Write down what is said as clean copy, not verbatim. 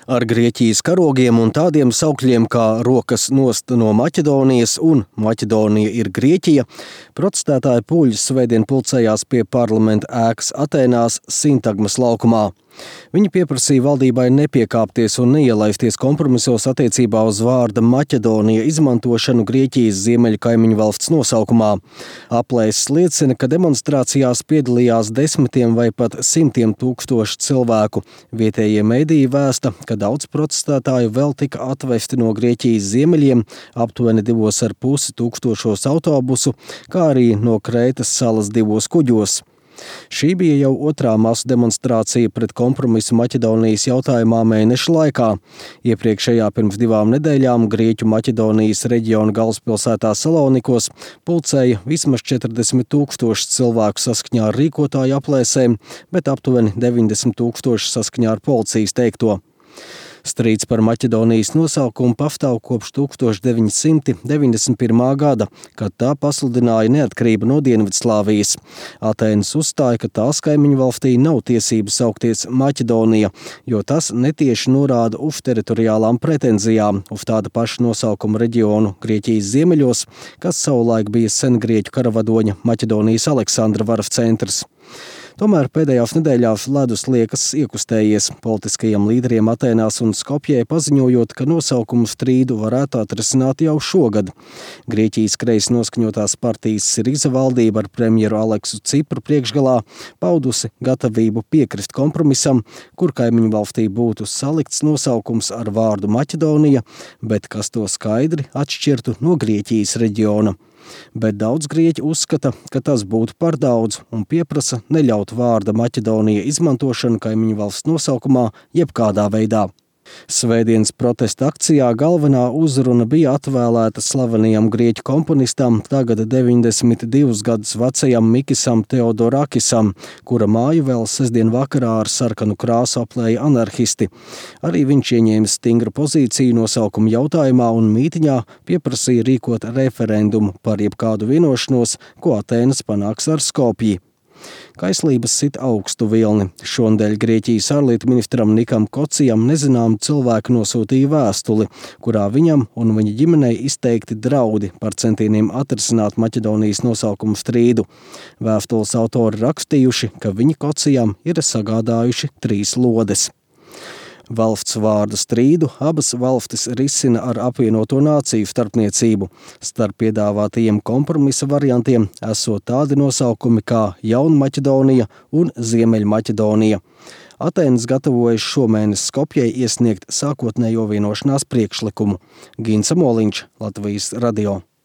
Ar Grieķijas karogiem un tādiem saukļiem kā rokas nost no Maķedonijas un Maķedonija ir Grieķija, protestētāji pūļi svētdien pulcējās pie parlamenta ēkas Atēnās Sintagmas laukumā. Viņi pieprasīja valdībai nepiekāpties un neielaisties kompromisos attiecībā uz vārda Maķedonija izmantošanu Grieķijas ziemeļu kaimiņu valsts nosaukumā. Aplēses liecina, ka demonstrācijās piedalījās desmitiem vai pat simtiem tūkstošu cilvēku. Vietējie mediji vēsta, ka daudz protestētāju vēl tika atvesti no Grieķijas ziemeļiem, aptuveni 2,5 tūkstošos autobusu, kā arī no Krētas salas 2 kuģos. Šī bija jau otrā masu demonstrācija pret kompromisu Maķedonijas jautājumā mēneša laikā. Iepriekšējā pirms 2 nedēļām Grieķu Maķedonijas reģiona galvaspilsētā Salonikos pulcēja vismaz 40,000 cilvēku saskaņā ar rīkotāju aplēsēm, bet aptuveni 90,000 saskaņā ar policijas teikto. Strīds par Maķedonijas nosaukumu pastāv kopš 1991. gada, kad tā pasludināja neatkarību no Dienvidslāvijas. Atēnas uzstāja, ka tās kaimiņu valstī nav tiesības saukties Maķedonija, jo tas netieši norāda uz teritoriālām pretenzijām uz tāda paša nosaukuma reģionu Grieķijas ziemeļos, kas savulaik bija sengrieķu karavadoņa Maķedonijas Aleksandra varas centrs. Tomēr pēdējās nedēļās ledus liekas iekustējies politiskajiem līderiem Atēnās un Skopjē, paziņojot, ka nosaukumu strīdu varētu atrisināt jau šogad. Grieķijas kreisi noskaņotās partijas Siriza valdība ar premjeru Aleksu Cipru priekšgalā paudusi gatavību piekrist kompromisam, kur kaimiņu valstī būtu salikts nosaukums ar vārdu Maķedonija, bet kas to skaidri atšķirtu no Grieķijas reģiona. Bet daudz grieķi uzskata, ka tas būtu par daudz un pieprasa neļaut vārda Maķedonija izmantošanu kaimiņu valsts nosaukumā jebkādā veidā. Svētdienas protesta akcijā galvenā uzruna bija atvēlēta slavenajam grieķu komponistam, tagad 92 gadus vecajam Mikisam Teodorakisam, kura māju vēl sestdien vakarā ar sarkanu krāsu aplēja anarhisti. Arī viņš ieņēma stingru pozīciju nosaukuma jautājumā un mītiņā pieprasīja rīkot referendumu par jebkādu vienošanos, ko Atēnas panāks ar Skopji. Kaislības sit augstu vilni. Šonedēļ Grieķijas ārlietu ministram Nikam Kocijam nezināmu cilvēku nosūtīja vēstuli, kurā viņam un viņa ģimenei izteikti draudi par centieniem atrisināt Maķedonijas nosaukumu strīdu. Vēstules autori rakstījuši, ka viņi Kocijam ir sagādājuši 3 lodes. Valsts vārdu strīdu abas valstis risina ar apvienoto nāciju starpniecību. Starp piedāvātajiem kompromisa variantiem esot tādi nosaukumi kā Jaunmaķedonija un Ziemeļmaķedonija. Atēnas gatavojas šomēnes Skopjei iesniegt sākotnējo vienošanās priekšlikumu. Gins Amoliņš, Latvijas radio.